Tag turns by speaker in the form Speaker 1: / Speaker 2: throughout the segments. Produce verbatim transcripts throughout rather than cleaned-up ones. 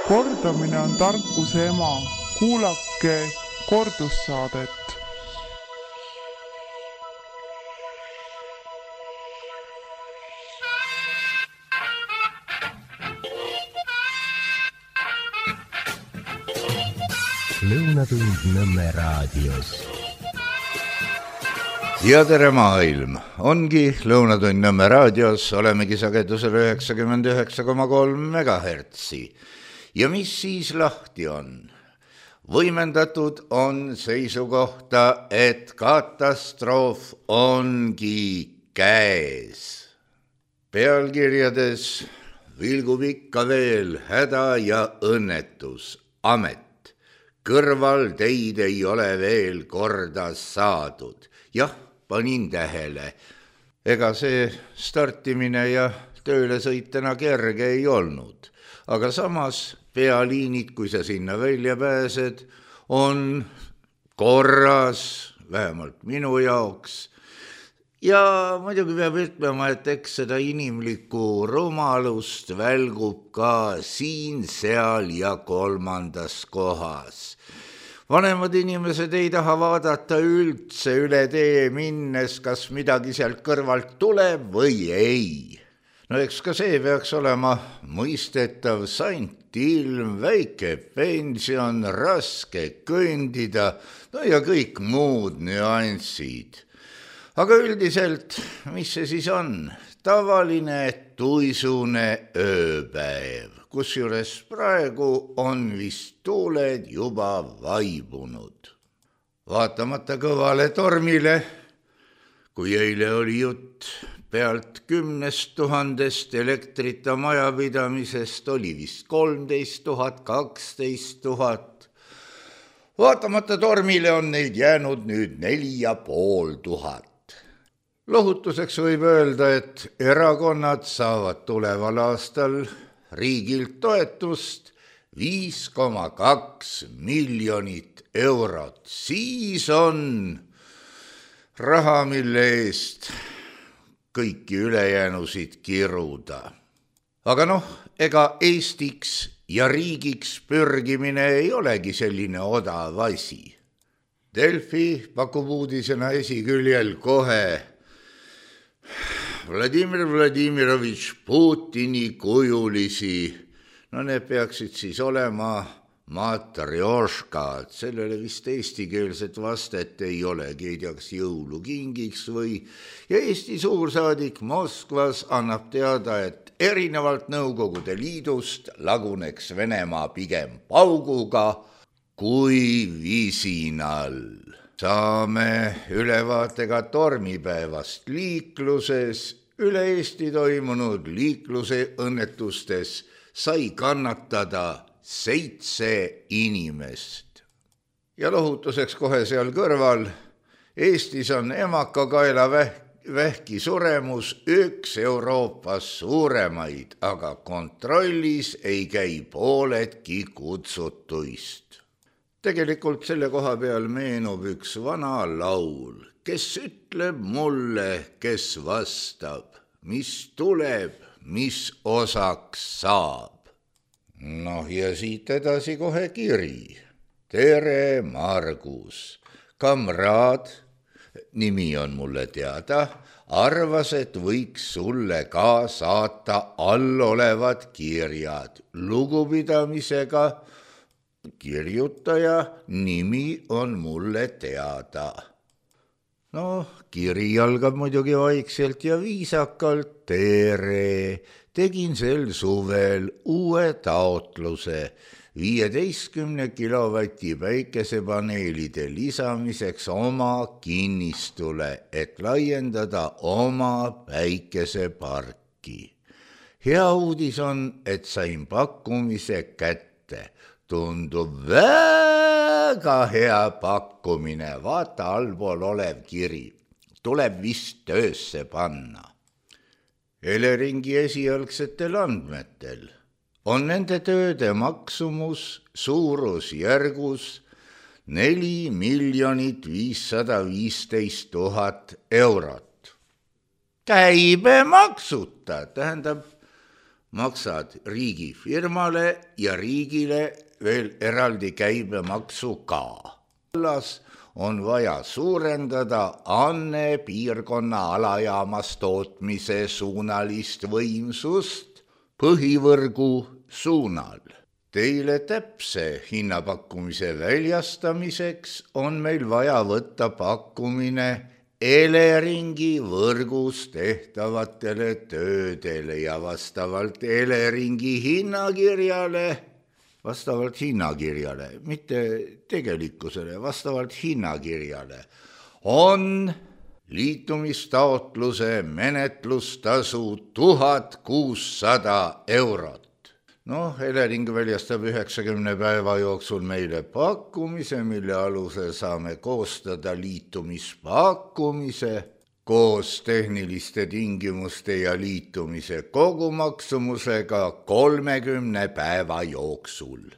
Speaker 1: Kordamine on tarkuse ema. Kuulake kordussaadet.
Speaker 2: Lõunatund Nõmme raadios.
Speaker 3: Ja tere maailm! Ongi Lõunatund Nõmme raadios, olemegi sagedusel üheksakümmend üheksa koma kolm megahertsi. Ja mis siis lahti on? Võimendatud on seisukohta, et katastroof ongi käes. Pealkirjades vilgub ikka veel häda ja õnnetus. Amet. Kõrval teid ei ole veel korda saadud. Jah, panin tähele. Ega see startimine ja tööle sõitena kerge ei olnud. Aga samas pealiinid, kui sa sinna välja pääsed, on korras, vähemalt minu jaoks. Ja muidugi peab ütlema, et eks seda inimlikku rumalust välgub ka siin, seal ja kolmandas kohas. Vanemad inimesed ei taha vaadata üldse üle tee minnes, kas midagi sealt kõrvalt tuleb või ei. No eks ka see peaks olema mõistetav, sant ilm, väike pension, raske kõndida, no ja kõik muud nüansid. Aga üldiselt, mis see siis on? Tavaline tuisune ööpäev, kusjuures praegu on vist tuuled juba vaibunud. Vaatamata kõvale tormile, kui eile oli jutt pealt kümnest tuhandest elektrita majapidamisest, oli vist kolmteist tuhat, kaksteist tuhat. Vaatamata tormile on neid jäänud nüüd neli ja pool tuhat. Lohutuseks võib öelda, et erakonnad saavad tuleval aastal riigilt toetust viis koma kaks miljonit eurot. Siis on raha, mille eest kõiki ülejäänusid kiruda. Aga noh, ega Eestiks ja riigiks pürgimine ei olegi selline odav asi. Delfi pakub uudisena esiküljel kohe Vladimir Vladimirovitš Putini kujulisi. No need peaksid siis olema matrjoškad. Sellele vist eestikeelset vastet ei olegi, ei tea, kas jõulukingiks või. Ja Eesti suursaadik Moskvas annab teada, et erinevalt Nõukogude Liidust laguneks Venemaa pigem pauguga kui visinal. Saame ülevaatega tormipäevast liikluses. Üle Eesti toimunud liikluse õnnetustes sai kannatada seitse inimest. Ja lohutuseks kohe seal kõrval, Eestis on emakakaela vähki suremus üks Euroopas suuremaid, aga kontrollis ei käi pooledki kutsutuist. Tegelikult selle koha peal meenub üks vana laul, kes ütleb mulle, kes vastab, mis tuleb, mis osaks saab. Noh ja siit edasi kohe kiri. Tere, Margus. Kamraad, nimi on mulle teada, arvas, et võiks sulle ka saata allolevad kirjad lugupidamisega. Kirjutaja nimi on mulle teada. No, kiri algab muidugi vaikselt ja viisakalt. Tere, tegin sel suvel uue taotluse viieteistkümne kilovati päikesepaneelide lisamiseks oma kinnistule, et laiendada oma päikeseparki. Hea uudis on, et sain pakkumise kätte. Tundub väga hea pakkumine, vaata allpool olev kiri. Tuleb vist töösse panna. Eleringi esialgsetel andmetel on nende tööde maksumus suurusjärgus neli miljonit viissada viisteist tuhat eurot. Käibemaksuta, tähendab maksad riigifirmale ja riigile veel eraldi käibemaksu ka. Vallas on vaja suurendada Anne piirkonna alajaamas tootmise suunalist võimsust põhivõrgu suunal. Teile täpse hinnapakkumise väljastamiseks on meil vaja võtta pakkumine Eleringi võrgus tehtavatele töödele ja vastavalt Eleringi hinnakirjale, vastavalt hinnakirjale, mitte tegelikkusele, vastavalt hinnakirjale, on liitumistaotluse menetlustasu tuhat kuussada eurot. Noh, Elering väljastab üheksakümne päeva jooksul meile pakkumise, mille alusel saame koostada liitumispakkumise koos tehniliste tingimuste ja liitumise kogumaksumusega kolmekümne päeva jooksul.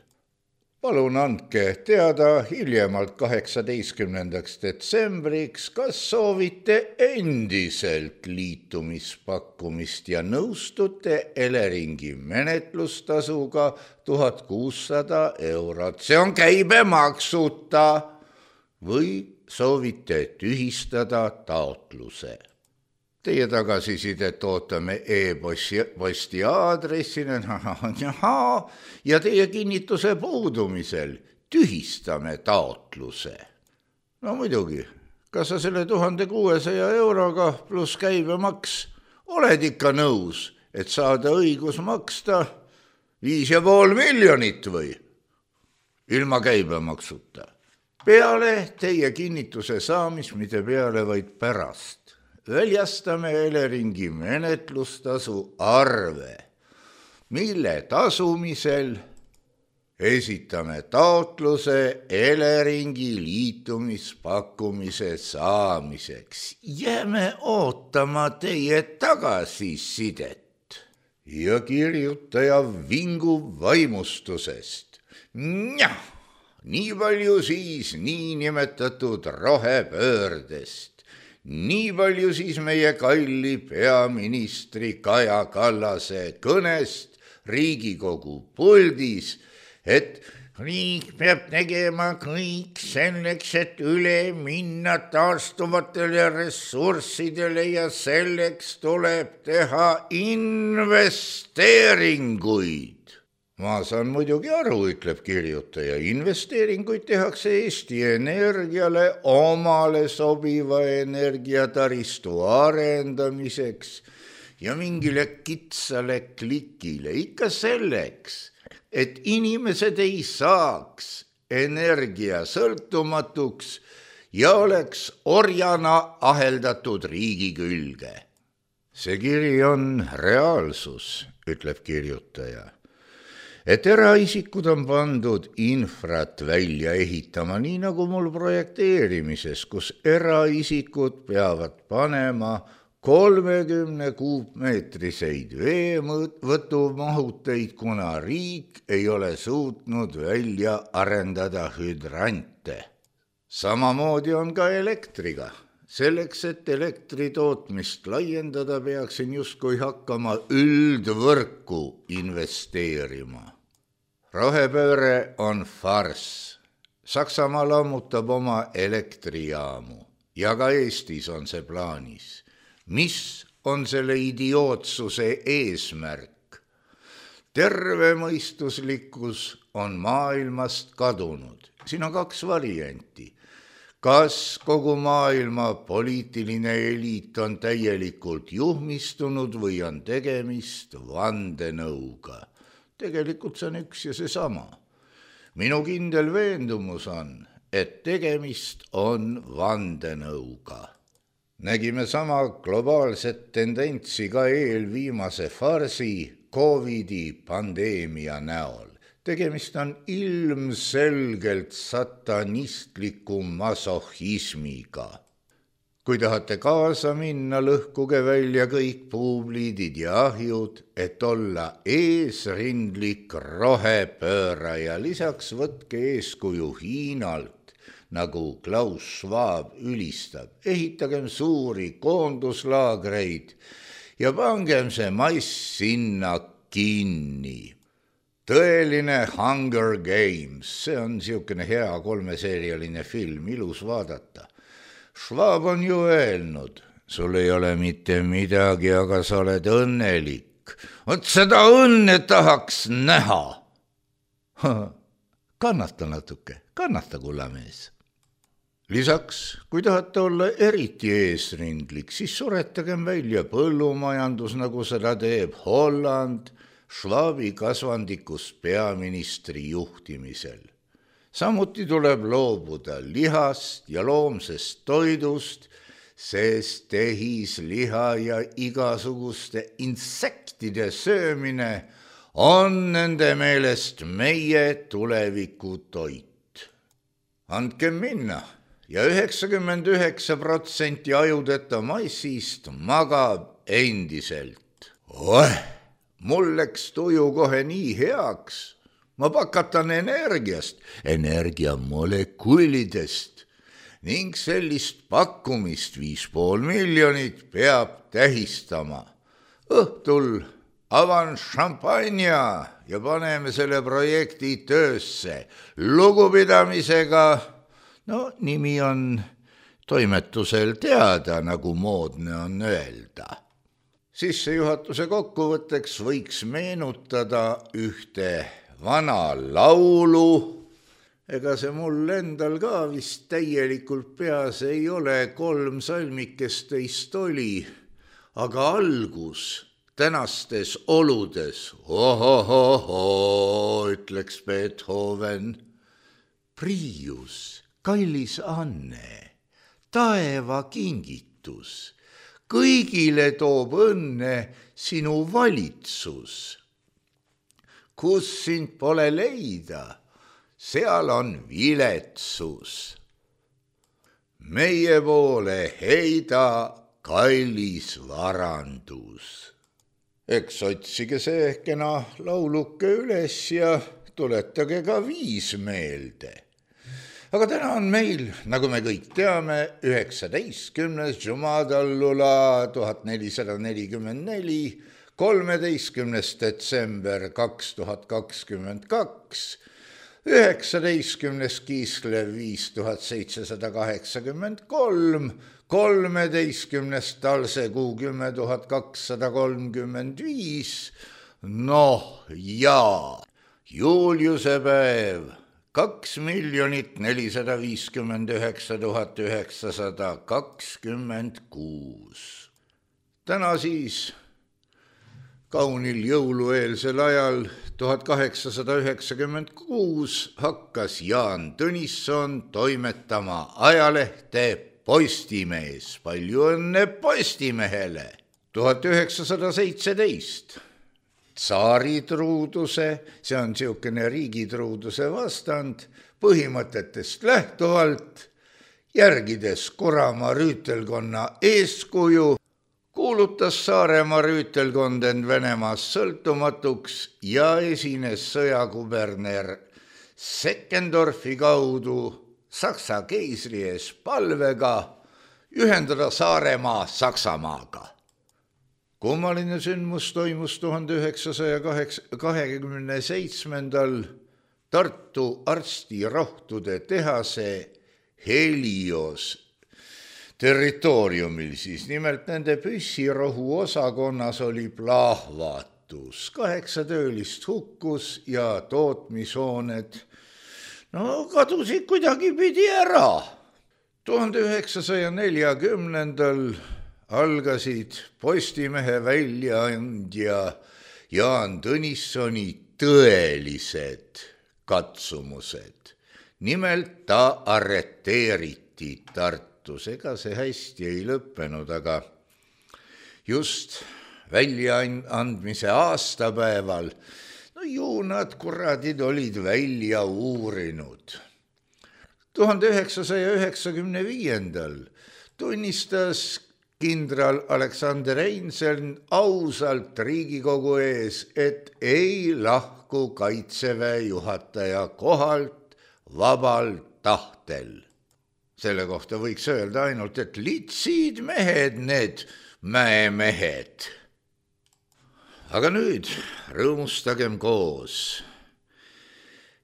Speaker 3: Palun andke teada hiljemalt kaheksateistkümnendaks detsembriks, kas soovite endiselt liitumispakkumist ja nõustute Eleringi menetlustasuga tuhat kuussada eurot. See on käibemaksuta või soovite tühistada taotluse. Teie tagasisidet ootame e-posti aadressina ja teie kinnituse puudumisel tühistame taotluse. No muidugi, kas sa selle tuhande kuuesaja euroga pluss käibemaks oled ikka nõus, et saada õigus maksta viis ja pool miljonit või? Ilma käibemaksuta. Peale teie kinnituse saamist, mitte peale, vaid pärast. Väljastame Eleringi menetlustasu arve, mille tasumisel esitame taotluse Eleringi liitumispakkumise saamiseks. Jääme ootama teie tagasisidet. Ja kirjutaja vingub vaimustusest. Njah, nii palju siis niinimetatud rohepöördest. Nii palju siis meie kalli peaministri Kaja Kallase kõnest Riigikogu puldis, et riik peab tegema kõik selleks, et üle minna taastuvatele ressurssidele ja selleks tuleb teha investeeringuid. Ma saan muidugi aru, ütleb kirjutaja, investeeringuid tehakse Eesti Energiale omale sobiva energiataristu arendamiseks ja mingile kitsale klikile ikka selleks, et inimesed ei saaks energia sõltumatuks ja oleks orjana aheldatud riigi külge. See kiri on reaalsus, ütleb kirjutaja. Et eraisikud on pandud infrat välja ehitama, nii nagu mul projekteerimises, kus eraisikud peavad panema kolmekümne kuupmeetriseid veevõtumahuteid, kuna riik ei ole suutnud välja arendada hüdrantse. Samamoodi on ka elektriga. Selleks, et elektri tootmist laiendada, peaksin justkui hakkama üldvõrku investeerima. Rohepööre on farss. Saksamaa lammutab oma elektrijaamu ja ka Eestis on see plaanis. Mis on selle idiootsuse eesmärk? Tervemõistuslikkus on maailmast kadunud. Siin on kaks varianti. Kas kogu maailma poliitiline eliit on täielikult juhmistunud või on tegemist vandenõuga? Tegelikult see on üks ja seesama. Minu kindel veendumus on, et tegemist on vandenõuga. Nägime sama globaalset tendentsi ka eelviimase farsi Covidi pandeemia näol. Tegemist on ilmselgelt satanistliku masohhismiga. Kui tahate kaasa minna, lõhkuge välja kõik puupliidid ja ahjud, et olla eesrindlik rohepööraja. Lisaks võtke eeskuju Hiinalt, nagu Klaus Schwab ülistab. Ehitagem suuri koonduslaagreid ja pangem see mass sinna kinni. Tõeline Hunger Games, see on siukene hea kolmeseerialine film, ilus vaadata. Schwab on ju öelnud, sul ei ole mitte midagi, aga sa oled õnnelik. Vot seda õnne tahaks näha. Kannata natuke, kannata, kullamees. Lisaks, kui tahate olla eriti eesrindlik, siis suretagem välja põllumajandus, nagu seda teeb Holland, Schwabi kasvandikus peaministri juhtimisel. Samuti tuleb loobuda lihast ja loomsest toidust, sest tehis, liha ja igasuguste insektide söömine on nende meelest meie tuleviku toit. Andke minna ja üheksakümmend üheksa protsenti ajudeta massist magab endiselt. Oeh, mul läks tuju kohe nii heaks. Ma pakatan energiast, energiamolekulidest ning sellist pakkumist viis pool miljonit peab tähistama. Õhtul avan šampanja ja paneme selle projekti töösse. Lugupidamisega, no nimi on toimetusel teada, nagu moodne on öelda. Sissejuhatuse kokkuvõtteks võiks meenutada ühte vana laulu. Ega see mul endal ka vist täielikult peas ei ole, kolm salmikest teist oli, aga algus tänastes oludes, ohohoho, ütleks Beethoven. Priius, kallis Anne, taeva kingitus, kõigile toob õnne sinu valitsus. Kus sind pole leida, seal on viletsus. Meie poole heida kallis varandus. Eks otsige see kena lauluke üles ja tuletage ka viis meelde. Aga täna on meil, nagu me kõik teame, üheksateistkümnes Jumadallula tuhat nelisada nelikümmend neli, kolmeteistkümnes detsember kaks tuhat kakskümmend kaks, üheksateistkümnes Kiislev viis tuhat seitsesada kaheksakümmend kolm, kolmeteistkümnes Talsekuu kümme tuhat kakssada kolmkümmend viis, noh ja Juliuse päev kaks miljonit nelisada viiskümmend üheksa tuhat üheksasada kakskümmend kuus. Täna siis kaunil jõulueelsel ajal tuhat kaheksasada üheksakümmend kuus hakkas Jaan Tõnisson toimetama ajalehte Postimees. Palju õnne Postimehele! tuhat üheksasada seitseteist Tsaaritruuduse, see on siukene riigitruuduse vastand, põhimõtetest lähtuvalt, järgides Kuramaa rüütelkonna eeskuju, kuulutas Saaremaa rüütelkond end Venemaast sõltumatuks ja esines sõjakuberner Seckendorfi kaudu Saksa keisri ees palvega ühendada Saaremaa Saksamaaga. Kummaline sündmus toimus tuhande üheksasaja kahekümne seitsmendal Tartu arstirohtude tehase Helios territooriumil, siis nimelt nende püssirohu osakonnas oli plahvatus. Kaheksa töölist hukkus ja tootmishooned no kadusid kuidagi pidi ära. tuhande üheksasaja neljakümnendal algasid Postimehe väljaandja Jaan Tõnissoni tõelised katsumused. Nimelt ta arreteeriti Tartus, ega see hästi ei lõppenud, aga just väljaandmise aastapäeval, no ju nad kuradid olid välja uurinud. tuhande üheksasaja üheksakümne viiendal tunnistas kindral Aleksander Einseln ausalt Riigikogu ees, et ei lahku Kaitseväe juhataja kohalt vabal tahtel. Selle kohta võiks öelda ainult, et litsid mehed need mäemehed. aga nüüd rõõmustagem koos.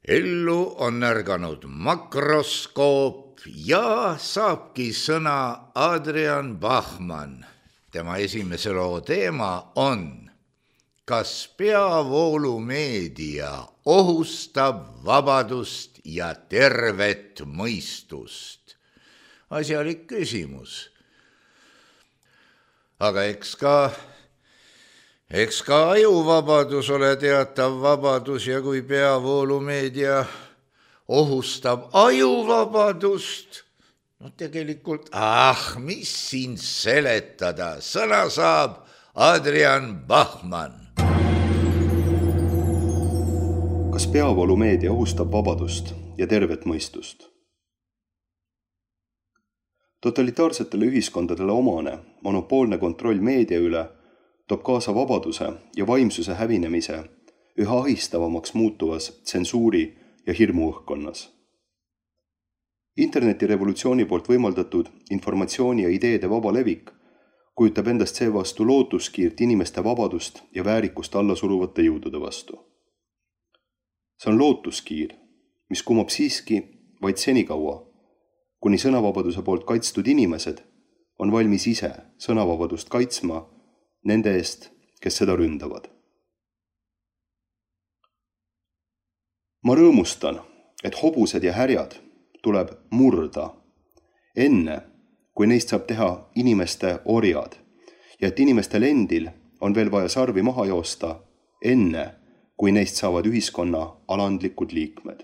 Speaker 3: Ellu on ärganud makroskoop ja saabki sõna Adrian Bachmann. Tema esimese loo teema on, kas peavoolumeedia ohustab vabadust ja tervet mõistust? Asjalik küsimus. Aga eks ka, eks ka ajuvabadus ole teatav vabadus ja kui peavoolumeedia ohustab ajuvabadust, no tegelikult, ah, mis siin seletada, sõna saab Adrian Bachmann.
Speaker 4: Kas peavoolumeedia ohustab vabadust ja tervet mõistust? Totalitaarsetele ühiskondadele omane monopoolne kontroll meedia üle toob kaasa vabaduse ja vaimsuse hävinemise üha ahistavamaks muutuvas tsensuuri ja hirmu õhkkonnas. Internetirevolutsiooni poolt võimaldatud informatsiooni ja ideede vaba levik kujutab endast seevastu lootuskiirt inimeste vabadust ja väärikust alla suruvate jõudude vastu. See on lootuskiir, mis kumab siiski vaid senikaua, kuni sõnavabaduse poolt kaitstud inimesed on valmis ise sõnavabadust kaitsma nende eest, kes seda ründavad. Ma rõõmustan, et hobused ja härjad tuleb murda enne, kui neist saab teha inimeste orjad ja et inimestel endil on veel vaja sarvi maha joosta enne, kui neist saavad ühiskonna alandlikud liikmed.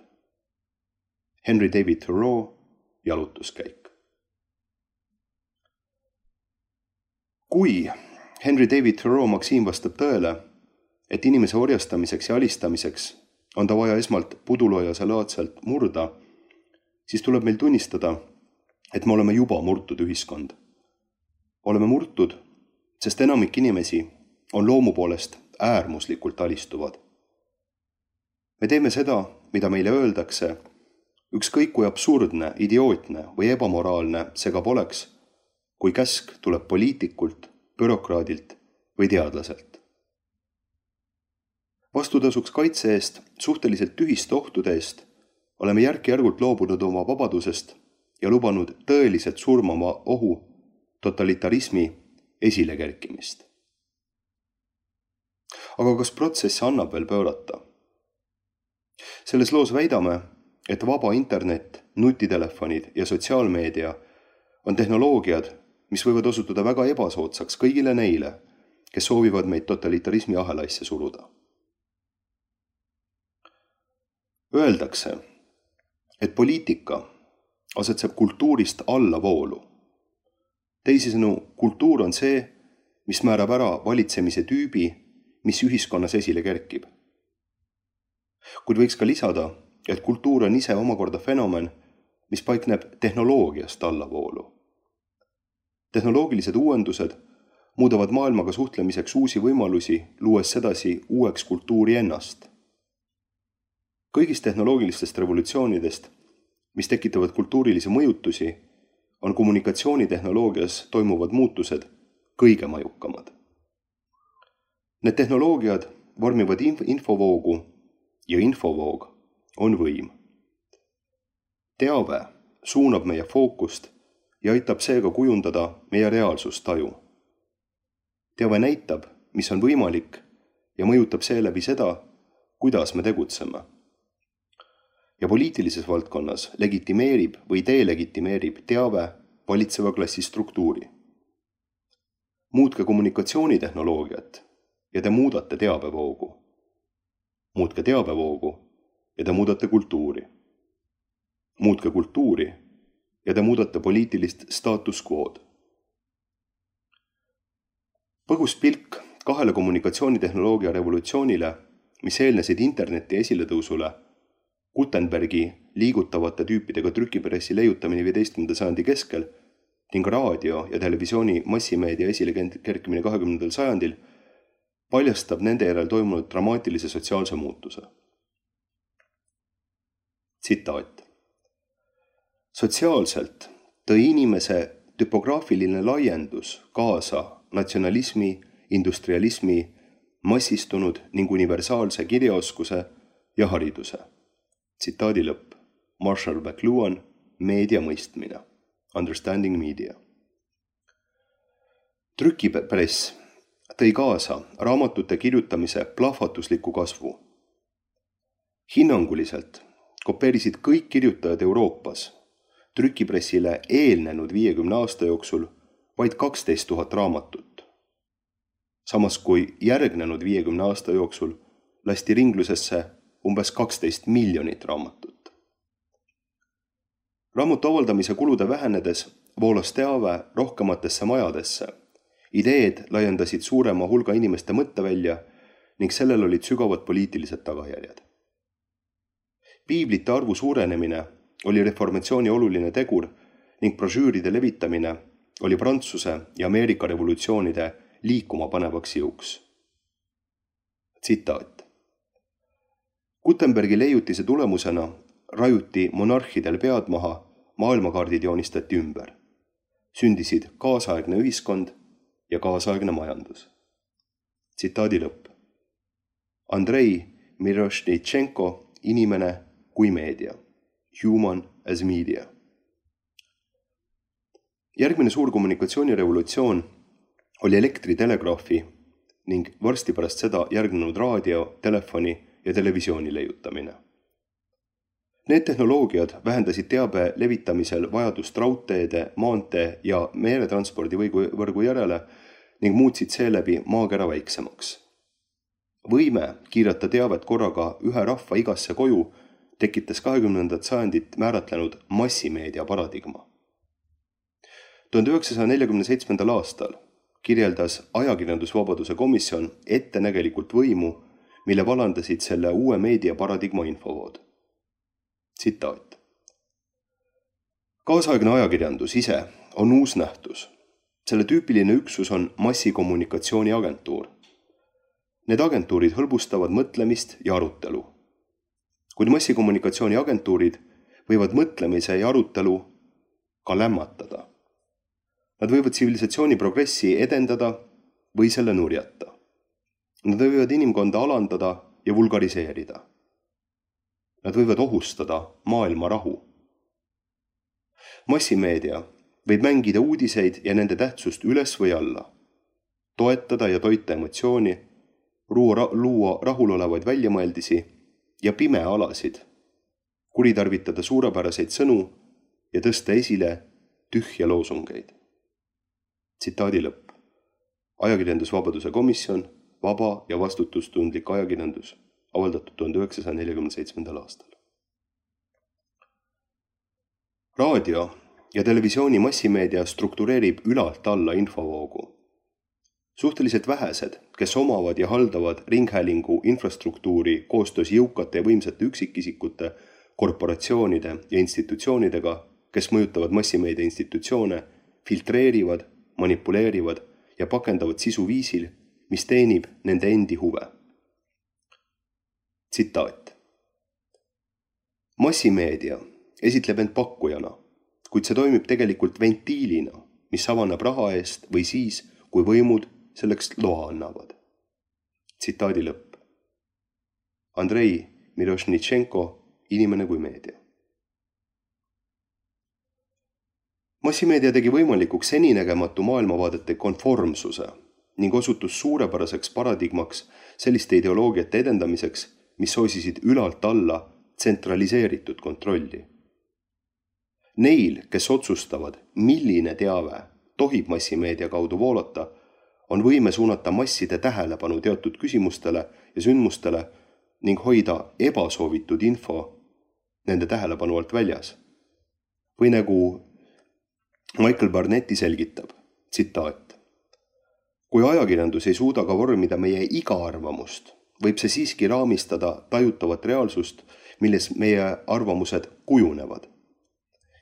Speaker 4: Henry David Thoreau, jalutuskäik. Kui Henry David Thoreau maksiim vastab tõele, et inimese orjastamiseks ja alistamiseks on ta vaja esmalt puduloojase laadselt murda, siis tuleb meil tunnistada, et me oleme juba murtud ühiskond. Oleme murtud, sest enamik inimesi on loomu poolest äärmuslikult alistuvad. Me teeme seda, mida meile öeldakse, ükskõik kui absurdne, idiootne või ebamoraalne see ka poleks, kui käsk tuleb poliitikult, bürokraadilt või teadlaselt. Vastutasuks kaitse eest suhteliselt tühiste ohtude eest oleme järk-järgult loobunud oma vabadusest ja lubanud tõeliselt surmama ohu totalitarismi esilekerkimist. Aga kas protsessi annab veel pöörata? Selles loos väidame, et vaba internet, nutitelefonid ja sotsiaalmeedia on tehnoloogiad, mis võivad osutuda väga ebasoodsaks kõigile neile, kes soovivad meid totalitarismi ahelaisse suruda. Öeldakse, et poliitika asetseb kultuurist allavoolu. Teisisõnu, kultuur on see, mis määrab ära valitsemise tüübi, mis ühiskonnas esile kerkib. Kuid võiks ka lisada, et kultuur on ise omakorda fenomen, mis paikneb tehnoloogiast allavoolu. Tehnoloogilised uuendused muudavad maailmaga suhtlemiseks uusi võimalusi, luues sedasi uueks kultuuri ennast. Kõigist tehnoloogilistest revolutsioonidest, mis tekitavad kultuurilisi mõjutusi, on kommunikatsioonitehnoloogias toimuvad muutused kõige majukamad. Need tehnoloogiad vormivad infovoogu ja infovoog on võim. Teave suunab meie fookust ja aitab seega kujundada meie reaalsustaju. Teave näitab, mis on võimalik ja mõjutab seeläbi seda, kuidas me tegutseme. Ja poliitilises valdkonnas legitimeerib või delegitimeerib teave valitseva klassi struktuuri. Muutke kommunikatsioonitehnoloogiat ja te muudate teabevoogu. Muutke teabevoogu ja te muudate kultuuri. Muutke kultuuri ja te muudate poliitilist status quo'd. Põgus pilk kahele kommunikatsioonitehnoloogia revolutsioonile, mis eelnesid interneti esiletõusule, Gutenbergi liigutavate tüüpidega trükipressi leiutamine viieteistkümnenda sajandi keskel ning raadio ja televisiooni massimeedia esile kerkimine kahekümnendal sajandil paljastab nende järel toimunud dramaatilise sotsiaalse muutuse. Tsitaat. Sotsiaalselt tõi inimese tüpograafiline laiendus kaasa natsionalismi, industrialismi, massistunud ning universaalse kirjaoskuse ja hariduse. Tsitaadi lõpp. Marshall McLuhan, Meedia mõistmine. Understanding Media. Trükipress tõi kaasa raamatute kirjutamise plahvatusliku kasvu. Hinnanguliselt kopeerisid kõik kirjutajad Euroopas trükipressile eelnenud viiekümne aasta jooksul vaid kaksteist tuhat raamatut. Samas kui järgnenud viiekümne aasta jooksul lasti ringlusesse umbes kaksteist miljonit raamatut. Raamatu avaldamise kulude vähenedes voolas teave rohkematesse majadesse. Ideed laiendasid suurema hulga inimeste mõttevälja ning sellel olid sügavad poliitilised tagajärjed. Piiblite arvu suurenemine oli reformatsiooni oluline tegur ning brošüüride levitamine oli Prantsuse ja Ameerika revolutsioonide liikuma panevaks jõuks. Tsitaat. Gutenbergi leiutise tulemusena rajuti monarhidel pead maha, maailmakaardid joonistati ümber. Sündisid kaasaegne ühiskond ja kaasaegne majandus. Tsitaadi lõpp. Andrei Mirošnitšenko, Inimene kui meedia. Human as media. Järgmine suur kommunikatsioonirevolutsioon oli elektritelegraafi ning varsti pärast seda järgnenud raadio, telefoni ja televisiooni leiutamine. Need tehnoloogiad vähendasid teabe levitamisel vajadust raudteede, maantee ja meeretranspordi võrgu järele ning muutsid seeläbi maakera väiksemaks. Võime kiirata teavet korraga ühe rahva igasse koju tekitas kahekümnendat sajandit määratlenud massimeedia paradigma. tuhande üheksasaja neljakümne seitsmendal aastal kirjeldas ajakirjandusvabaduse komisjon ettenägelikult võimu, mille valandasid selle uue meediaparadigma infovood. Tsitaat. Kaasaegne ajakirjandus ise on uus nähtus. Selle tüüpiline üksus on massikommunikatsiooni agentuur. Need agentuurid hõlbustavad mõtlemist ja arutelu. Kuid massikommunikatsiooni agentuurid võivad mõtlemise ja arutelu ka lämmatada. Nad võivad tsivilisatsiooni progressi edendada või selle nurjata. Nad võivad inimkonda alandada ja vulgariseerida. Nad võivad ohustada maailma rahu. Massimeedia võib mängida uudiseid ja nende tähtsust üles või alla, toetada ja toita emotsiooni, luua rahulolevaid väljamõeldisi ja pimealasid, kuritarvitada suurepäraseid sõnu ja tõsta esile tühja loosungeid. Tsitaadi lõpp. Ajakirjandusvabaduse komisjon, vaba ja vastutustundlik ajakirjandus, avaldatud tuhande üheksasaja neljakümne seitsmendal aastal. Raadio ja televisiooni massimeedia struktureerib ülalt alla infovoogu. Suhteliselt vähesed, kes omavad ja haldavad ringhäälingu infrastruktuuri koostöös jõukate ja võimsate üksikisikute, korporatsioonide ja institutsioonidega, kes mõjutavad massimeedia institutsioone, filtreerivad, manipuleerivad ja pakendavad sisu viisil, mis teenib nende endi huve. Tsitaat. Massimeedia esitleb end pakkujana, kuid see toimib tegelikult ventiilina, mis avaneb raha eest või siis, kui võimud selleks loa annavad. Tsitaadi lõpp. Andrei Mirošnitšenko, Inimene kui meedia. Massimeedia tegi võimalikuks seninägematu maailmavaadete konformsuse ning osutus suurepäraseks paradigmaks selliste ideoloogiate edendamiseks, mis soosisid ülalt alla tsentraliseeritud kontrolli. Neil, kes otsustavad, milline teave tohib massimeedia kaudu voolata, on võime suunata masside tähelepanu teatud küsimustele ja sündmustele ning hoida ebasoovitud info nende tähelepanu alt väljas. Või nagu Michael Barnetti selgitab, tsitaat. Kui ajakirjandus ei suuda ka vormida meie iga arvamust, võib see siiski raamistada tajutavat reaalsust, milles meie arvamused kujunevad.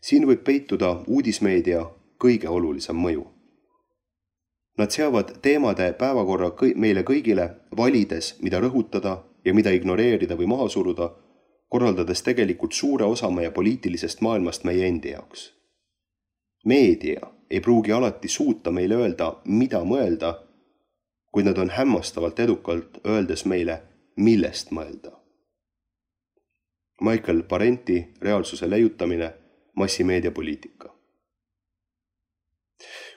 Speaker 4: Siin võib peituda uudismeedia kõige olulisem mõju. Nad seavad teemade päevakorra meile kõigile, valides, mida rõhutada ja mida ignoreerida või maha suruda, korraldades tegelikult suure osa meie poliitilisest maailmast meie endi jaoks. Meedia ei pruugi alati suuta meile öelda, mida mõelda, kuid nad on hämmastavalt edukalt öeldes meile, millest mõelda. Michael Parenti reaalsuse leiutamine, massimeediapoliitika.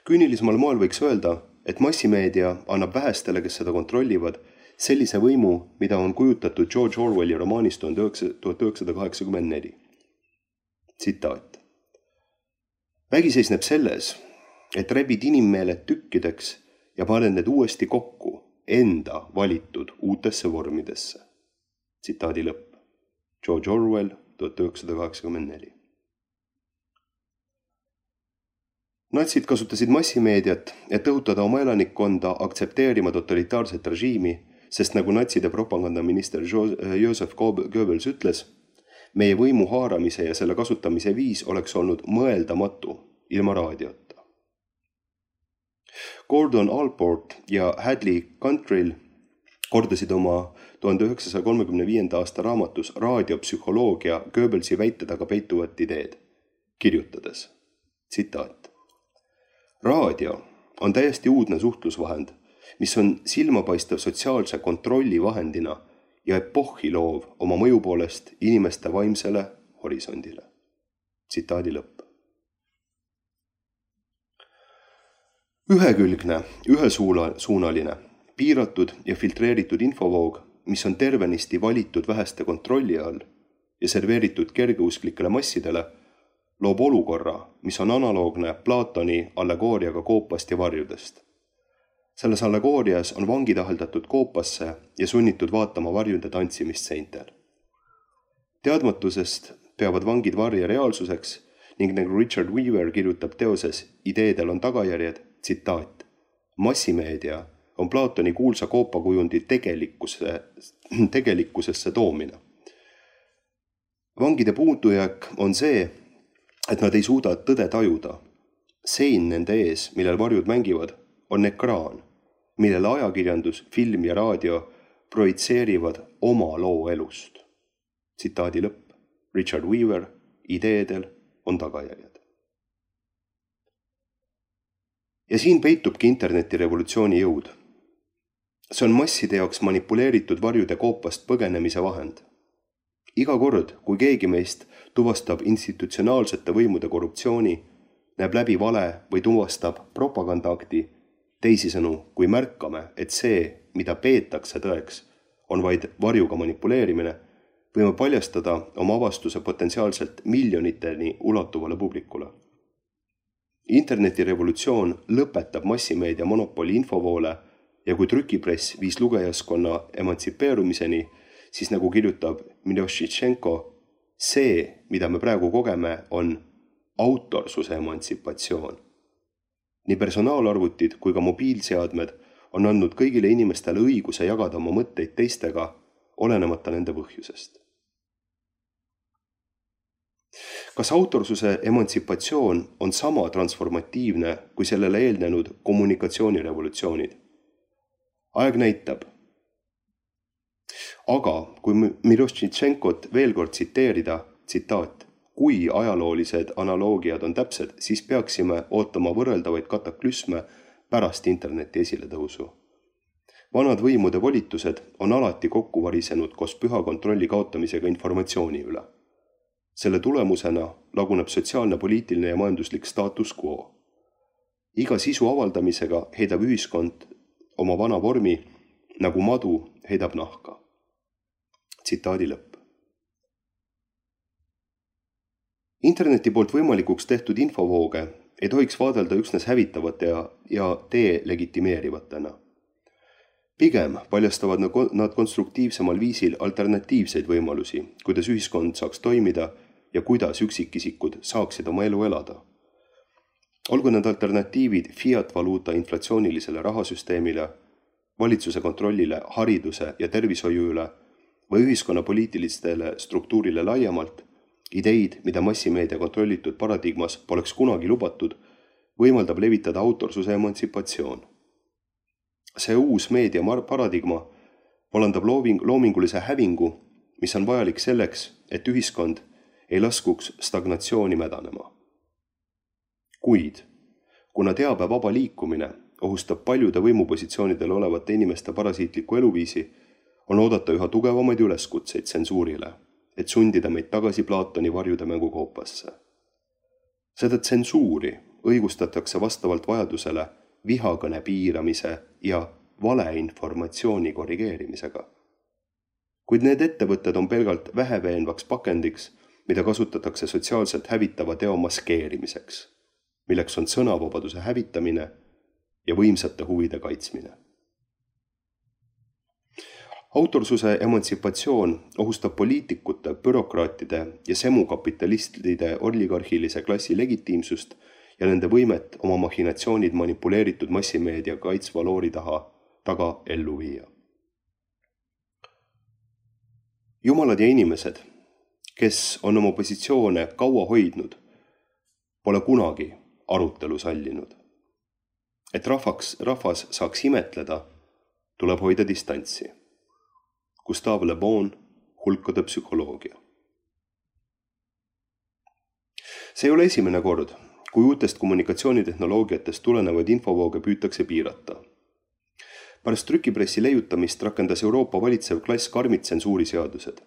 Speaker 4: Küünilismal moel võiks öelda, et massimeedia annab vähestele, kes seda kontrollivad, sellise võimu, mida on kujutatud George Orwelli romaanis tuhat üheksasada kaheksakümmend neli. Tsitaat. Vägi seisneb selles, et rebid inimmeeled tükkideks ja paned need uuesti kokku enda valitud uutesse vormidesse. Tsitaadi lõpp. George Orwell, tuhat üheksasada kaheksakümmend neli. Natsid kasutasid massimeediat, et õhutada oma elanikkonda aktsepteerima totalitaarset režiimi, sest nagu natside propagandaminister Joseph Goebbels ütles, meie võimu haaramise ja selle kasutamise viis oleks olnud mõeldamatu ilma raadiota. Gordon Allport ja Hadley Cantrill kordasid oma tuhande üheksasaja kolmekümne viienda aasta raamatus raadiopsühholoogia Goebbelsi väite taga peituvat ideed, kirjutades, tsitaat. Raadio on täiesti uudne suhtlusvahend, mis on silmapaistev sotsiaalse kontrolli vahendina ja epohhi loov oma mõju poolest inimeste vaimsele horisondile. Tsitaadi lõpp. Ühekülgne, ühesuunaline, piiratud ja filtreeritud infovoog, mis on tervenisti valitud väheste kontrolli all ja serveeritud kergeusklikele massidele, loob olukorra, mis on analoogne Platoni allegooriaga koopast ja varjudest. Selles allegoorias on vangid aheldatud koopasse ja sunnitud vaatama varjude tantsimist seintel. Teadmatusest peavad vangid varje reaalsuseks ning nagu Richard Weaver kirjutab teoses Ideedel on tagajärjed, tsitaat, massimeedia on Platoni kuulsa koopakujundi tegelikkuse, tegelikkusesse toomine. Vangide puutujääk on see, et nad ei suuda tõde tajuda. Sein nende ees, millel varjud mängivad, on ekraan, millele ajakirjandus, film ja raadio projitseerivad oma loo elust. Tsitaadi lõpp. Richard Weaver, Ideedel on tagajärjed. Ja siin peitubki internetirevolutsiooni jõud. See on masside jaoks manipuleeritud varjude koopast põgenemise vahend. Iga kord, kui keegi meist tuvastab institutsionaalsete võimude korruptsiooni, näeb läbi vale või tuvastab propagandaakti, teisisõnu, kui märkame, et see, mida peetakse tõeks, on vaid varjuga manipuleerimine, võime paljastada oma avastuse potentsiaalselt miljoniteni ulatuvale publikule. Internetirevolutsioon lõpetab massimeedia monopoli infovoole ja kui trükipress viis lugejaskonna emantsipeerumiseni, siis nagu kirjutab Milošitšenko, see, mida me praegu kogeme, on autorsuse emantsipatsioon. Nii personaalarvutid kui ka mobiilseadmed on andnud kõigile inimestele õiguse jagada oma mõtteid teistega, olenemata nende põhjusest. Kas autorsuse emantsipatsioon on sama transformatiivne kui sellele eelnenud kommunikatsioonirevolutsioonid? Aeg näitab. Aga kui Milošitšenkot veel kord tsiteerida, tsitaat, kui ajaloolised analoogiad on täpsed, siis peaksime ootama võrreldavaid kataklüsme pärast interneti esiletõusu. Vanad võimude volitused on alati kokku varisenud koos püha kontrolli kaotamisega informatsiooni üle. Selle tulemusena laguneb sotsiaalne, poliitiline ja majanduslik status quo. Iga sisu avaldamisega heidab ühiskond oma vana vormi, nagu madu heidab nahka. Tsitaadi lõpp. Interneti poolt võimalikuks tehtud infovooge ei tohiks vaadelda üksnes hävitavate ja, ja delegitimeerivatena. Pigem paljastavad nad konstruktiivsemal viisil alternatiivseid võimalusi, kuidas ühiskond saaks toimida ja kuidas üksikisikud saaksid oma elu elada. Olgu need alternatiivid fiat-valuuta inflatsioonilisele rahasüsteemile, valitsuse kontrollile hariduse ja tervishoiu üle või ühiskonna poliitilistele struktuurile laiemalt, ideid, mida massimeedia kontrollitud paradigmas poleks kunagi lubatud, võimaldab levitada autorsuse emantsipatsioon. See uus meedia paradigma vallandab looming, loomingulise hävingu, mis on vajalik selleks, et ühiskond ei laskuks stagnatsiooni mädanema. Kuid, kuna teabe vaba liikumine ohustab paljude võimupositsioonidel olevate inimeste parasiitliku eluviisi, on oodata üha tugevamaid üleskutseid tsensuurile, et sundida meid tagasi Platoni varjude mängukoopasse. Seda tsensuuri õigustatakse vastavalt vajadusele vihakõne piiramise ja valeinformatsiooni korrigeerimisega. Kuid need ettevõtted on pelgalt väheveenvaks pakendiks, mida kasutatakse sotsiaalselt hävitava teo maskeerimiseks, milleks on sõnavabaduse hävitamine ja võimsate huvide kaitsmine. Autorsuse emantsipatsioon ohustab poliitikute, bürokraatide ja semukapitalistide oligarhilise klassi legitiimsust ja nende võimet oma machinatsioonid manipuleeritud massimeedia kaitsva loori taha taga ellu viia. Jumalad ja inimesed, kes on oma positsioone kaua hoidnud, pole kunagi arutelu sallinud. Et rahvaks, rahvas saaks imetleda, tuleb hoida distantsi. Gustave Le Bon, hulkade psühholoogia. See ei ole esimene kord, kui uutest kommunikatsioonitehnoloogiatest tulenevaid infovooge püütakse piirata. Pärast trükipressi leiutamist rakendas Euroopa valitsev klass karmid tsensuuriseadused.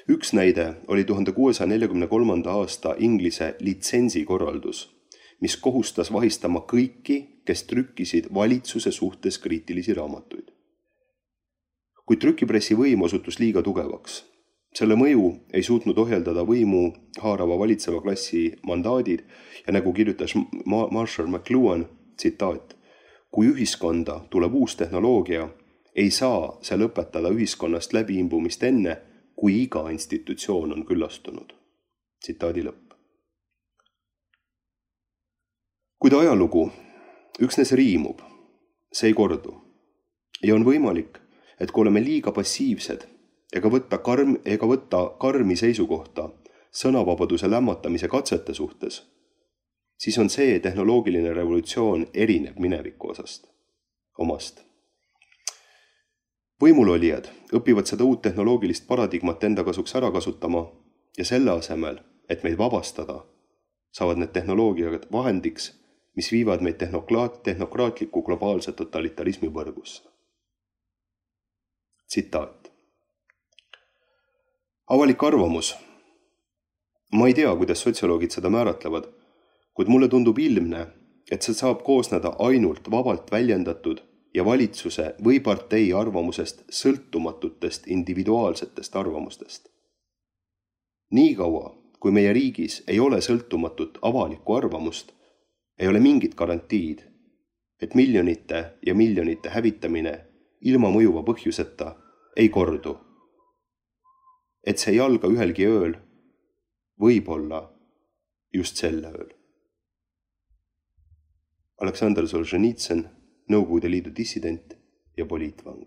Speaker 4: Üks näide oli tuhande kuuesaja neljakümne kolmanda aasta Inglise litsensikorraldus, mis kohustas vahistama kõiki, kes trükkisid valitsuse suhtes kriitilisi raamatuid. Kui trükipressi võim osutus liiga tugevaks, selle mõju ei suutnud ohjeldada võimu haarava valitseva klassi mandaadid ja nagu kirjutas Marshall McLuhan, tsitaat, kui ühiskonda tuleb uus tehnoloogia, ei saa see lõpetada ühiskonnast läbiimbumist enne, kui iga institutsioon on küllastunud. Tsitaadi lõpp. Kuid ajalugu üksnes riimub, see ei kordu. Ja on võimalik, et kui oleme liiga passiivsed ega võtta, karm, ega võtta karmi seisukohta sõnavabaduse lämmatamise katsete suhtes, siis on see tehnoloogiline revolutsioon erineb mineviku osast, omast. Võimulolijad õpivad seda uut tehnoloogilist paradigmat enda kasuks ära kasutama ja selle asemel, et meid vabastada, saavad need tehnoloogiad vahendiks, mis viivad meid tehnokraat, tehnokraatliku globaalse totalitarismi võrgusse. Tsitaat. Avalik arvamus. Ma ei tea, kuidas sotsioloogid seda määratlevad, kuid mulle tundub ilmne, et see saab koosneda ainult vabalt väljendatud ja valitsuse või partei arvamusest sõltumatutest individuaalsetest arvamustest. Nii kaua, kui meie riigis ei ole sõltumatut avalikku arvamust, ei ole mingit garantiid, et miljonite ja miljonite hävitamine ilma mõjuva põhjuseta ei kordu. Et see ei alga ühelgi ööl, võib-olla just selle ööl. Aleksandr Solženitsõn, Nõukogude Liidu dissident ja poliitvang.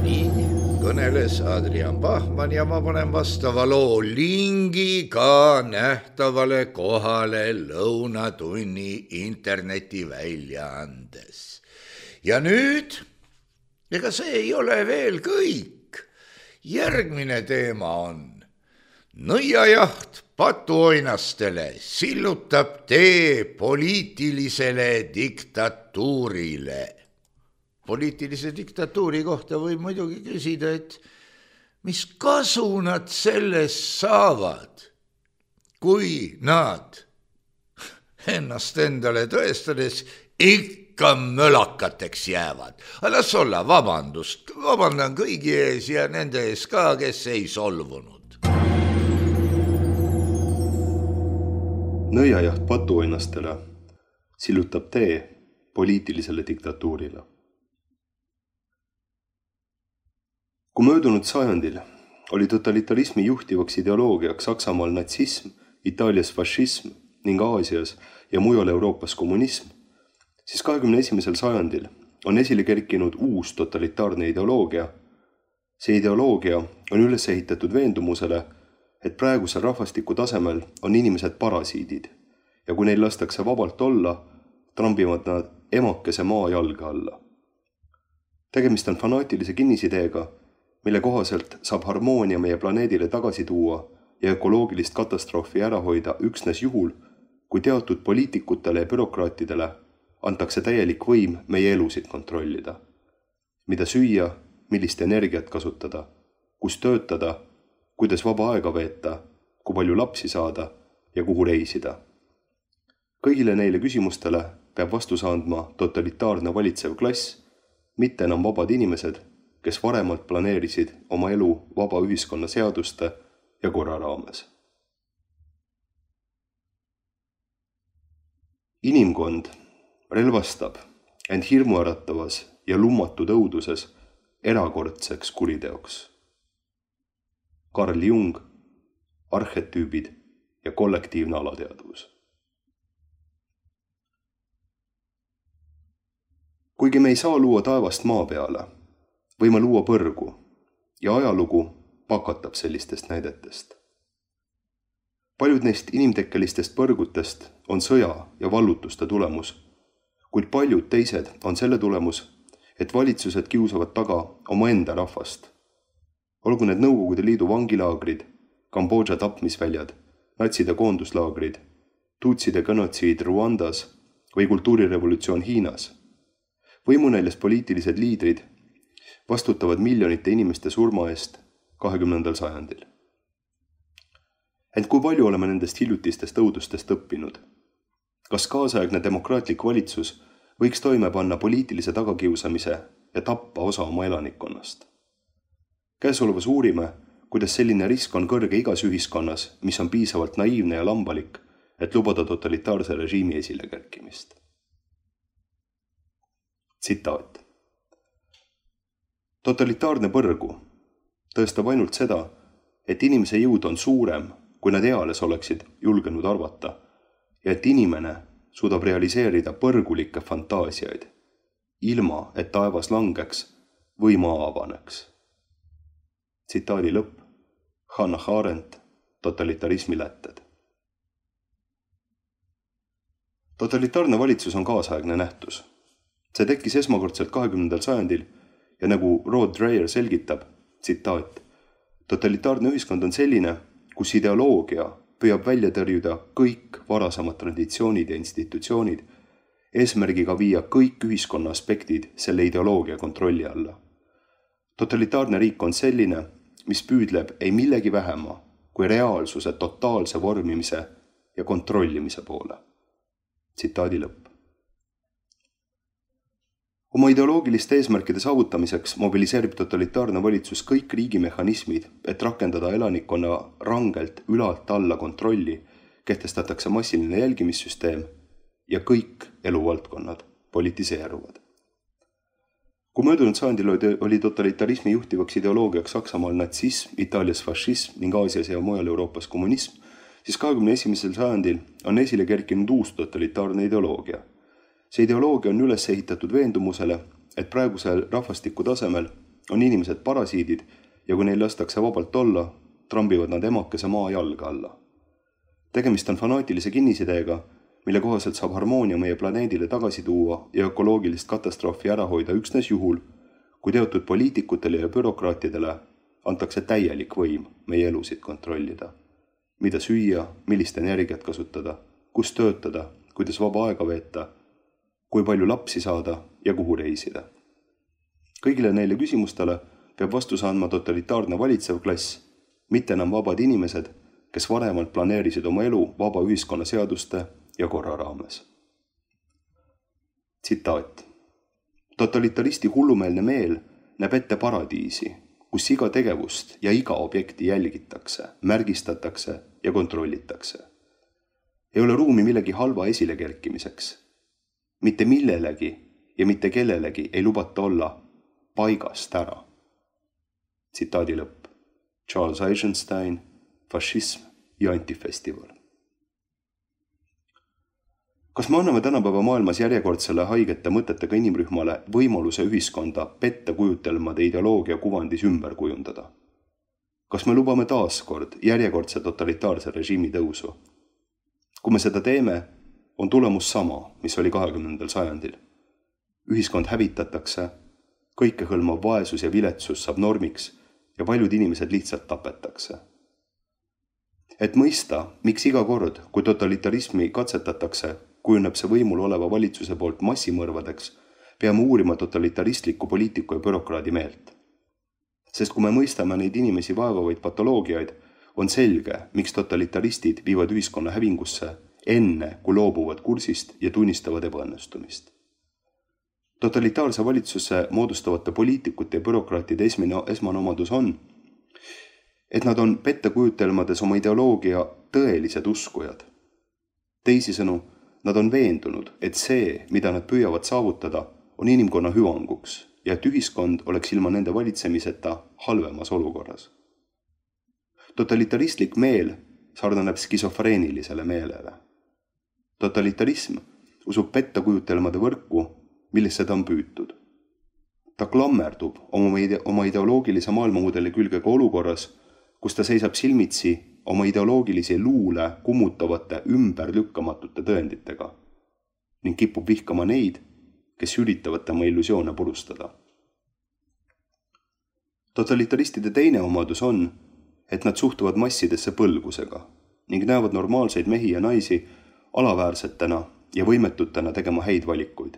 Speaker 3: Nii kõneles Adrian Bachmann ja ma panen vastava loo lingi ka nähtavale kohale Lõunatunni internetiväljaandes. Ja nüüd, ega see ei ole veel kõik. Järgmine teema on nõiajaht patuoinastele sillutab tee poliitilisele diktatuurile. Poliitilise diktatuuri kohta võib muidugi küsida, et mis kasu nad sellest saavad, kui nad ennast endale tõestades ikka mölakateks jäävad. Las olla, vabandust, vabandan kõigi ees ja nende ees ka, kes ei solvunud.
Speaker 4: Nõiajaht patuoinastele sillutab tee poliitilisele diktatuurile. Kui möödunud sajandil oli totalitarismi juhtivaks ideoloogiaks Saksamaal natsism, Itaalias fašism ning Aasias ja mujal Euroopas kommunism, siis kahekümne esimesel sajandil on esile kerkinud uus totalitaarne ideoloogia. See ideoloogia on üles ehitatud veendumusele, et praegusel rahvastiku tasemel on inimesed parasiidid ja kui neil lastakse vabalt olla, trambivad nad emakese maa jalga alla. Tegemist on fanaatilise kinnisideega, mille kohaselt saab harmoonia meie planeedile tagasi tuua ja ökoloogilist katastroofi ära hoida üksnes juhul, kui teatud poliitikutele ja bürokraatidele antakse täielik võim meie elusid kontrollida. Mida süüa, millist energiat kasutada, kus töötada, kuidas vaba aega veeta, kui palju lapsi saada ja kuhu reisida. Kõigile neile küsimustele peab vastuse andma totalitaarne valitsev klass, mitte enam vabad inimesed, kes varemalt planeerisid oma elu vaba ühiskonna seaduste ja korra raames. Inimkond relvastab end hirmuäratavas ja lummatud õuduses erakordseks kuriteoks. Carl Jung, arhetüübid ja kollektiivne alateadvus. Kuigi me ei saa luua taevast maa peale, võime luua põrgu ja ajalugu pakatab sellistest näidetest. Paljud neist inimtekkelistest põrgutest on sõja ja vallutuste tulemus, kuid paljud teised on selle tulemus, et valitsused kiusavad taga omaenda rahvast. Olgu need Nõukogude Liidu vangilaagrid, Kambodža tapmisväljad, natside koonduslaagrid, tutside genotsiid Ruandas või kultuurirevolutsioon Hiinas. Võimunäljas poliitilised liidrid vastutavad miljonite inimeste surma eest kahekümnendal sajandil. Ent kui palju oleme nendest hiljutistest õudustest õppinud? Kas kaasaegne demokraatlik valitsus võiks toime panna poliitilise tagakiusamise ja tappa osa oma elanikkonnast? Käesolevas uurime, kuidas selline risk on kõrge igas ühiskonnas, mis on piisavalt naiivne ja lambalik, et lubada totalitaarse režiimi esile kerkimist. Tsitaat. Totalitaarne põrgu tõestab ainult seda, et inimese jõud on suurem, kui nad eales oleksid julgenud arvata, ja et inimene suudab realiseerida põrgulikke fantaasiaid, ilma et taevas langeks või maa avaneks. Tsitaadi lõpp. Hannah Arendt, totalitarismi lätted. Totalitaarne valitsus on kaasaegne nähtus. See tekkis esmakordselt kahekümnendal sajandil ja nagu Rod Dreher selgitab, tsitaat, totalitaarne ühiskond on selline, kus ideoloogia püüab välja tõrjuda kõik varasemad traditsioonid ja institutsioonid, eesmärgiga viia kõik ühiskonna aspektid selle ideoloogia kontrolli alla. Totalitaarne riik on selline, mis püüdleb ei millegi vähema kui reaalsuse totaalse vormimise ja kontrollimise poole. Tsitaadi lõpp. Oma ideoloogiliste eesmärkide saavutamiseks mobiliseerib totalitaarne valitsus kõik riigimehhanismid, et rakendada elanikkonna rangelt ülalt alla kontrolli, kehtestatakse massiline jälgimissüsteem ja kõik eluvaldkonnad politiseeruvad. Kui möödunud sajandil oli totalitarismi juhtivaks ideoloogiaks Saksamaal natsism, Itaalias fašism ning Aasias ja mujal Euroopas kommunism, siis kahekümne esimesel sajandil on esile kerkinud uus totalitaarne ideoloogia. See ideoloogia on üles ehitatud veendumusele, et praegusel rahvastiku tasemel on inimesed parasiidid ja kui neil lastakse vabalt olla, trambivad nad emakese maa jalga alla. Tegemist on fanaatilise kinnisideega, mille kohaselt saab harmoonia meie planeedile tagasi tuua ja ökoloogilist katastroofi ära hoida üksnes juhul, kui teatud poliitikutele ja bürokraatidele antakse täielik võim meie elusid kontrollida. Mida süüa, millist energiat kasutada, kus töötada, kuidas vaba aega veeta, kui palju lapsi saada ja kuhu reisida. Kõigile neile küsimustele peab vastuse andma totalitaarne valitsev klass, mitte enam vabad inimesed, kes varemalt planeerisid oma elu vaba ühiskonna seaduste ja korra raames. Tsitaat. Totalitaristi hullumeelne meel näeb ette paradiisi, kus iga tegevust ja iga objekti jälgitakse, märgistatakse ja kontrollitakse. Ei ole ruumi millegi halva esile kerkimiseks. Mitte millelegi ja mitte kellelegi ei lubata olla paigast ära. Tsitaadi lõpp. Charles Eisenstein, fašism ja antifestival. Kas me anname tänapäeva maailmas järjekordsele haigete mõtetega inimrühmale võimaluse ühiskonda petta kujutelmade ideoloogia kuvandis ümber kujundada? Kas me lubame taaskord järjekordse totalitaarse režiimi tõusu? Kui me seda teeme, on tulemus sama, mis oli kahekümnendal sajandil. Ühiskond hävitatakse, kõikehõlmav vaesus ja viletsus saab normiks ja paljud inimesed lihtsalt tapetakse. Et mõista, miks iga kord, kui totalitarismi katsetatakse, kujuneb see võimul oleva valitsuse poolt massimõrvadeks, peame uurima totalitaristliku poliitiku ja bürokraadi meelt. Sest kui me mõistame neid inimesi vaevavaid patoloogiaid, on selge, miks totalitaristid viivad ühiskonna hävingusse enne, kui loobuvad kursist ja tunnistavad ebaõnnestumist. Totalitaarse valitsuse moodustavate poliitikute ja bürokraatide esmine, esmane omadus on, et nad on pettekujutelmades oma ideoloogia tõelised uskujad. Teisisõnu, nad on veendunud, et see, mida nad püüavad saavutada, on inimkonna hüvanguks ja et ühiskond oleks ilma nende valitsemiseta halvemas olukorras. Totalitaristlik meel sarnaneb skisofreenilisele meelele. Totalitarism usub pettekujutelmade võrku, millesse ta on püütud. Ta klammerdub oma, ide- oma ideoloogilise maailmamudeli külge ka olukorras, kus ta seisab silmitsi oma ideoloogilisi luule kummutavate ümberlükkamatute tõenditega ning kipub vihkama neid, kes üritavad tema illusioone purustada. Totalitaristide teine omadus on, et nad suhtuvad massidesse põlgusega ning näevad normaalseid mehi ja naisi alaväärsetena ja võimetutena tegema häid valikuid.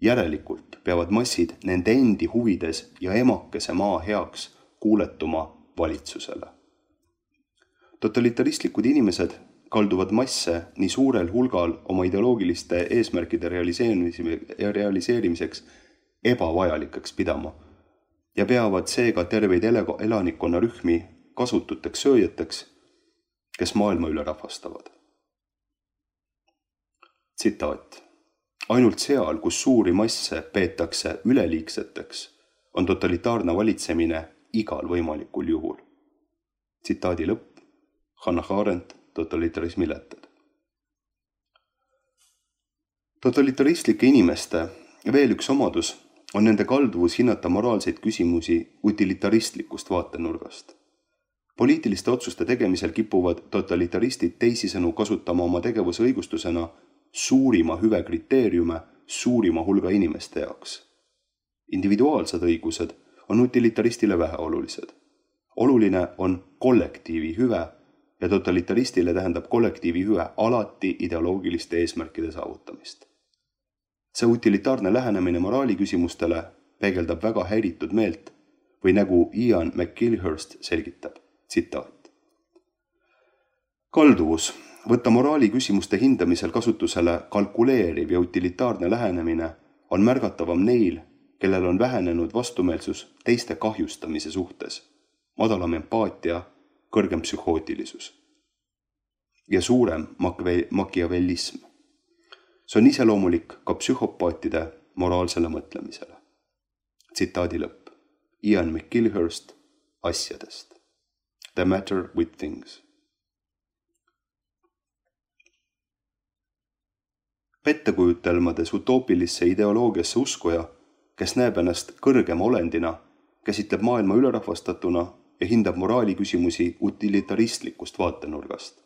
Speaker 4: Järelikult peavad massid nende endi huvides ja emakese maa heaks kuuletuma valitsusele. Totalitaristlikud inimesed kalduvad masse nii suurel hulgal oma ideoloogiliste eesmärkide realiseerimiseks ebavajalikeks pidama ja peavad seega terveid elanikkonna rühmi kasututeks sööjateks, kes maailma üle rahvastavad. Tsitaat. Ainult seal, kus suuri masse peetakse üleliigseteks, on totalitaarne valitsemine igal võimalikul juhul. Tsitaadi lõpp. Hannah Arendt, totalitarismi lätted. Totalitaristlike inimeste veel üks omadus on nende kalduvus hinnata moraalseid küsimusi utilitaristlikust vaatenurgast. Poliitiliste otsuste tegemisel kipuvad totalitaristid teisisõnu kasutama oma tegevuse õigustusena suurima hüve kriteeriume suurima hulga inimeste jaoks. Individuaalsed õigused on utilitaristile väheolulised. Oluline on kollektiivi hüve ja totalitaristile tähendab kollektiivi hüve alati ideoloogiliste eesmärkide saavutamist. See utilitaarne lähenemine moraali küsimustele peegeldab väga häiritud meelt või nagu Ian McGilhurst selgitab, tsitaat. Kalduvus võtta moraali küsimuste hindamisel kasutusele kalkuleeriv ja utilitaarne lähenemine on märgatavam neil, kellel on vähenenud vastumeelsus teiste kahjustamise suhtes, madalam empaatia, kõrgem psühhootilisus ja suurem makiavellism. See on iseloomulik ka psühhopaatide moraalsele mõtlemisele. Tsitaadi lõpp. Ian McGilhurst asjadest. The matter with things. Pettekujutelmades utoopilisse ideoloogiasse uskuja, kes näeb ennast kõrgema olendina, käsitleb maailma ülerahvastatuna ja hindab moraali küsimusi utilitaristlikust vaatenurgast.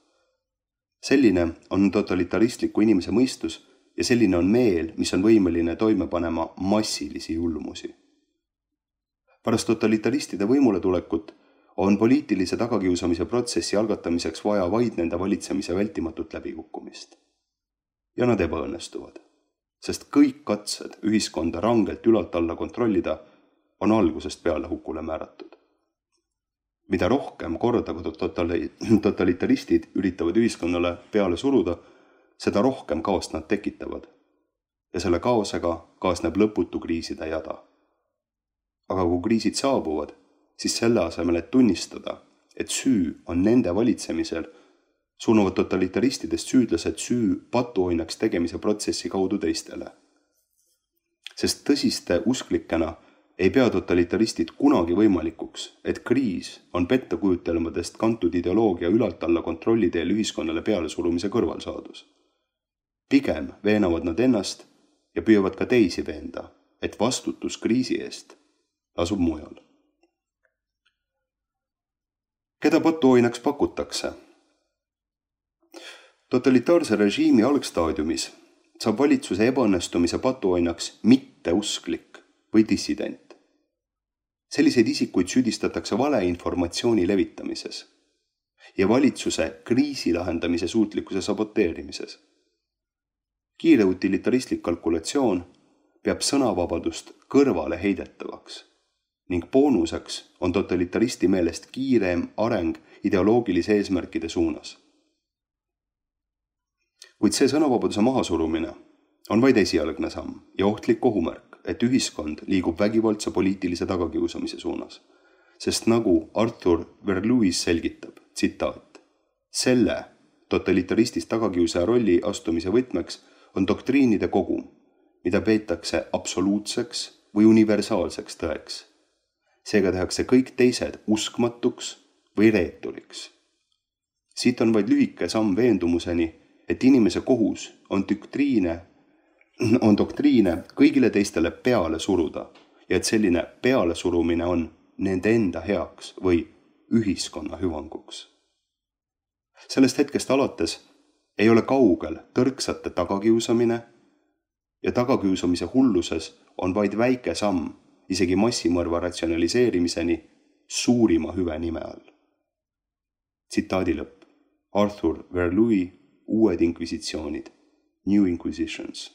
Speaker 4: Selline on totalitaristliku inimese mõistus ja selline on meel, mis on võimeline toime panema massilisi julmusi. Pärast totalitaristide võimule tulekut on poliitilise tagakiusamise protsessi algatamiseks vaja vaid nende valitsemise vältimatut läbikukkumist. Ja nad ebaõnnestuvad, sest kõik katsed ühiskonda rangelt ülalt alla kontrollida on algusest peale hukule määratud. Mida rohkem korda totalitaristid üritavad ühiskonnale peale suruda, seda rohkem kaost nad tekitavad ja selle kaosega kaasneb lõputu kriiside jada. Aga kui kriisid saabuvad, siis selle asemel, et tunnistada, et süü on nende valitsemisel, suunavad totalitaristidest süüdlased süü patuoinaks tegemise protsessi kaudu teistele. Sest tõsiste usklikena ei pea totalitaristid kunagi võimalikuks, et kriis on pettekujutelmadest kantud ideoloogia ülalt alla kontrolli teel ühiskonnale peale surumise kõrvalsaadus. Pigem veenavad nad ennast ja püüavad ka teisi veenda, et vastutus kriisi eest asub mujal. Keda patuoinaks pakutakse? Totalitaarse režiimi algstaadiumis saab valitsuse ebaõnnestumise patuoinaks mitteusklik või dissident. Selliseid isikuid süüdistatakse valeinformatsiooni levitamises ja valitsuse kriisi lahendamise suutlikkuse saboteerimises. kiire utilitaristlik kalkulatsioon peab sõnavabadust kõrvale heidetavaks ning boonuseks on totalitaristi meelest kiirem areng ideoloogilise eesmärkide suunas. Kuid see sõnavabaduse mahasurumine on vaid esialgne samm ja ohtlik ohumärk, et ühiskond liigub vägivaldse poliitilise tagakiusamise suunas, sest nagu Arthur Verluis selgitab, tsitaat, selle totalitaristist tagakiusaja rolli astumise võtmeks on doktriinide kogum, mida peetakse absoluutseks või universaalseks tõeks. Seega tehakse kõik teised uskmatuks või reeturiks. Siit on vaid lühike samm veendumuseni, et inimese kohus on doktriine, on doktriine kõigile teistele peale suruda ja et selline peale surumine on nende enda heaks või ühiskonna hüvanguks. Sellest hetkest alates ei ole kaugel tõrksate tagakiusamine ja tagakiusamise hulluses on vaid väike samm isegi massimõrva ratsionaliseerimiseni suurima hüve nime all. Tsitaadi lõpp. Arthur Verluis Uued inkvisitsioonid. New Inquisitions.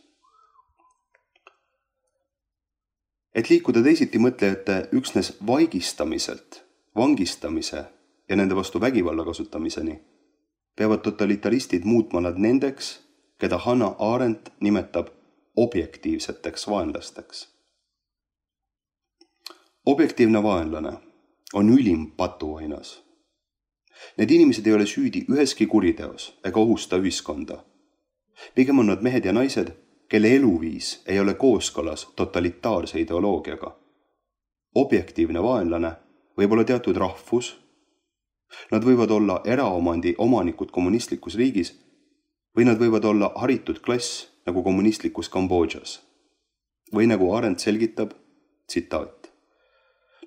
Speaker 4: Et liikuda teisiti mõtlejate üksnes vaigistamiselt, vangistamise ja nende vastu vägivalla kasutamiseni, peavad totalitaristid muutma nad nendeks, keda Hannah Arendt nimetab objektiivseteks vaenlasteks. Objektiivne vaenlane on ülim patuainas. Need inimesed ei ole süüdi üheski kuriteos ega ohusta ühiskonda. Pigem on nad mehed ja naised, kelle eluviis ei ole kooskõlas totalitaarse ideoloogiaga. Objektiivne vaenlane võib olla teatud rahvus, nad võivad olla eraomandi omanikud kommunistlikus riigis või nad võivad olla haritud klass nagu kommunistlikus Kambodžas. Või nagu Arendt selgitab, tsitaat.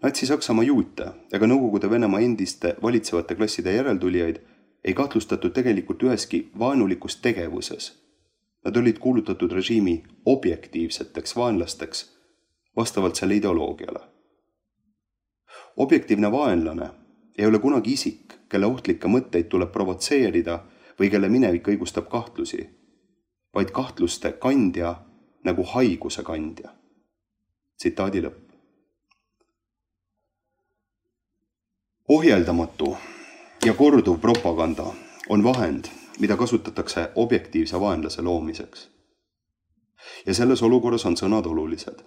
Speaker 4: Natsi-Saksamaa juute ega Nõukogude Venemaa endiste valitsevate klasside järeltulijaid ei kahtlustatud tegelikult üheski vaenulikus tegevuses. Nad olid kuulutatud režiimi objektiivseteks vaenlasteks vastavalt selle ideoloogiale. Objektiivne vaenlane ei ole kunagi isik, kelle ohtlikke mõtteid tuleb provotseerida või kelle minevik õigustab kahtlusi, vaid kahtluste kandja nagu haiguse kandja. Tsitaadi lõpp. Ohjeldamatu ja korduv propaganda on vahend, mida kasutatakse objektiivse vaenlase loomiseks. Ja selles olukorras on sõnad olulised.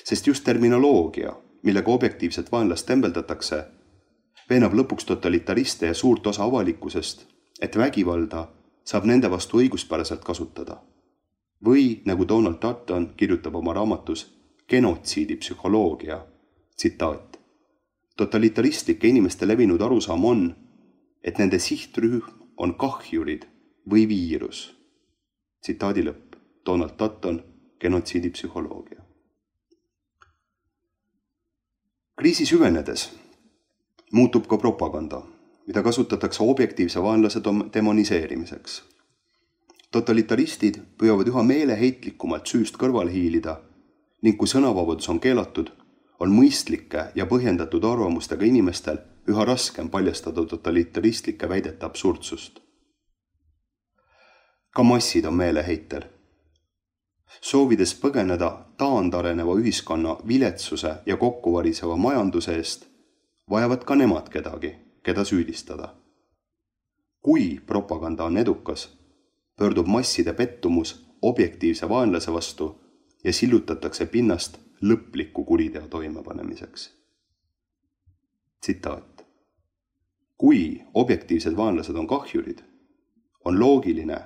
Speaker 4: Sest just terminoloogia, millega objektiivset vaenlast tembeldatakse, veenab lõpuks totalitariste ja suurt osa avalikkusest, et vägivalda saab nende vastu õiguspäraselt kasutada. Või, nagu Donald Dutton kirjutab oma raamatus Genotsiidi psühholoogia, tsitaat. Totalitaristike inimeste levinud arusaam on, et nende sihtrühm on kahjurid või viirus. Tsitaadi lõpp. Donald Dutton, Genotsiidi psühholoogia. Kriisi süvenedes muutub ka propaganda, mida kasutatakse objektiivse vaenlase demoniseerimiseks. Totalitaristid püüavad üha meeleheitlikumalt süüst kõrvale hiilida ning kui sõnavabadus on keelatud, on mõistlike ja põhjendatud arvamustega inimestel üha raskem paljastada totalitaristlike väidete absurdsust. Ka massid on meeleheitel. Soovides põgeneda taandareneva ühiskonna viletsuse ja kokkuvariseva majanduse eest, vajavad ka nemad kedagi, keda süüdistada. Kui propaganda on edukas, pöördub masside pettumus objektiivse vaenlase vastu ja sillutatakse pinnast lõpliku kuriteo toimepanemiseks. Tsitaat. Kui objektiivsed vaenlased on kahjurid, on loogiline,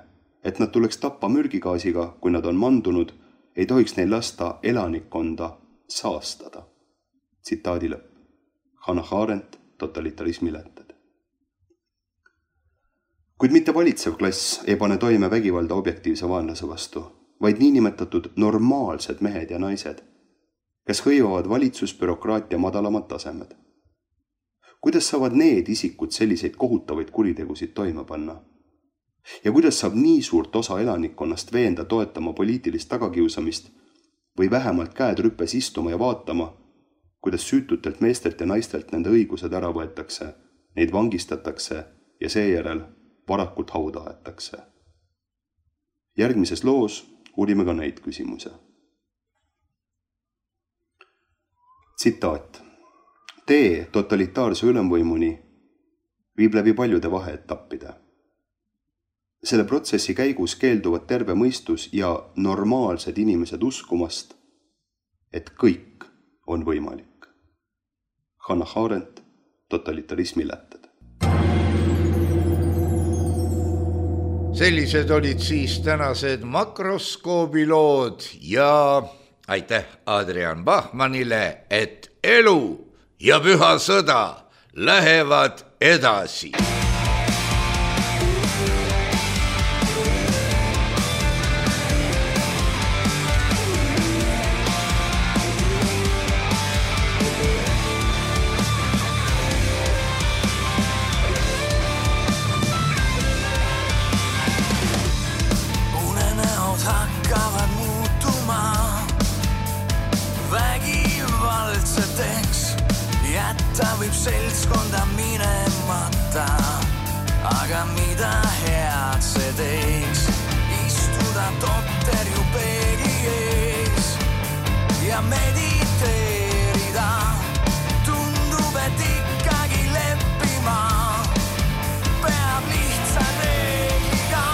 Speaker 4: et nad tuleks tappa mürgigaasiga, kui nad on mandunud, ei tohiks neil lasta elanikkonda saastada. Tsitaadi lõpp. Hannah Arendt, totalitarismi lätted. Kuid mitte valitsev klass ei pane toime vägivalda objektiivse vaenlase vastu, vaid niinimetatud normaalsed mehed ja naised, kes hõivavad valitsusbürokraatia madalamad tasemed. Kuidas saavad need isikud selliseid kohutavaid kuritegusid toime panna? Ja kuidas saab nii suurt osa elanikkonnast veenda toetama poliitilist tagakiusamist või vähemalt käed rüppes istuma ja vaatama, kuidas süütutelt meestelt ja naistelt nende õigused ära võetakse, neid vangistatakse ja seejärel varakult hauda aetakse? järgmises loos uurime ka neid küsimuse. Tsitaat. Tee totalitaarse ülemvõimuni viib läbi paljude vaheetappide. Selle protsessi käigus keelduvad terve mõistus ja normaalsed inimesed uskumast, et kõik on võimalik. Hannah Arendt, Totalitarismi lätted.
Speaker 3: Sellised olid siis tänased makroskoobilood ja aitäh Adrian Bachmannile, et elu ja püha sõda lähevad edasi.
Speaker 5: Võib seltskonda minemata, aga mida head see teeks, istuda totter ju peegi ees ja mediteerida, tundub, et ikkagi leppima peab lihtsalt reegliga.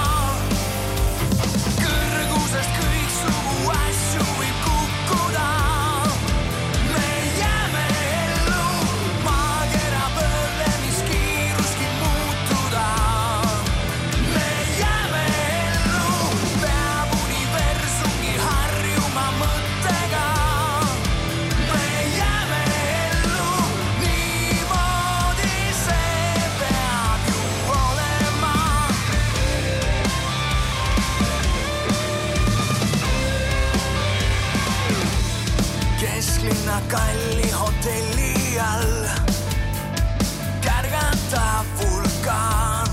Speaker 5: Kõrgusest kõik sugu asju võib kukkuda. Kalli hotelli all kärgata vulkaan,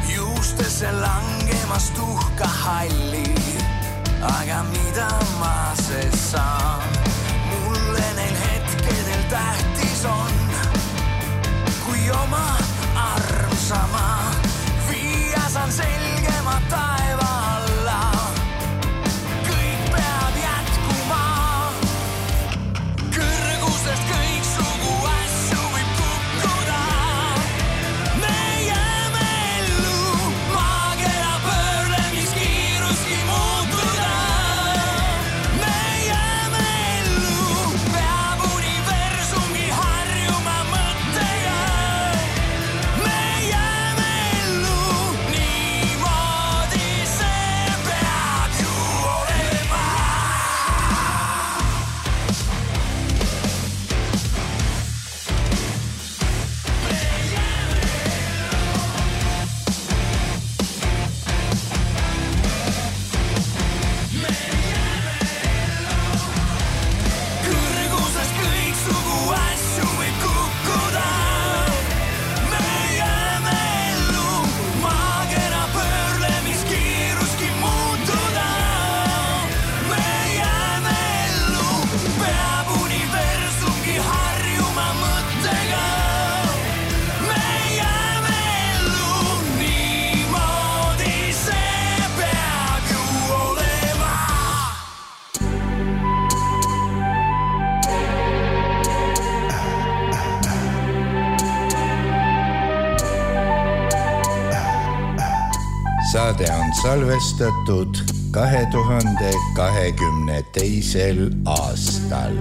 Speaker 5: juustesse langemas tuhka halli, aga mida ma see saan? Mulle neil hetkedel tähtis on, kui oma armsama viia saan selgema taeva alla. Kõik peab jätkuma. Kõik sugu asju võib kukkuda. Me jääme ellu, maakera pöörlemiskiiruski muutuda. Me jääme ellu, peab universumgi harjuma mõttega. Me jääme ellu, niimoodi see peab ju olema.
Speaker 3: Saade on salvestatud kahe tuhande kahekümne teisel aastal.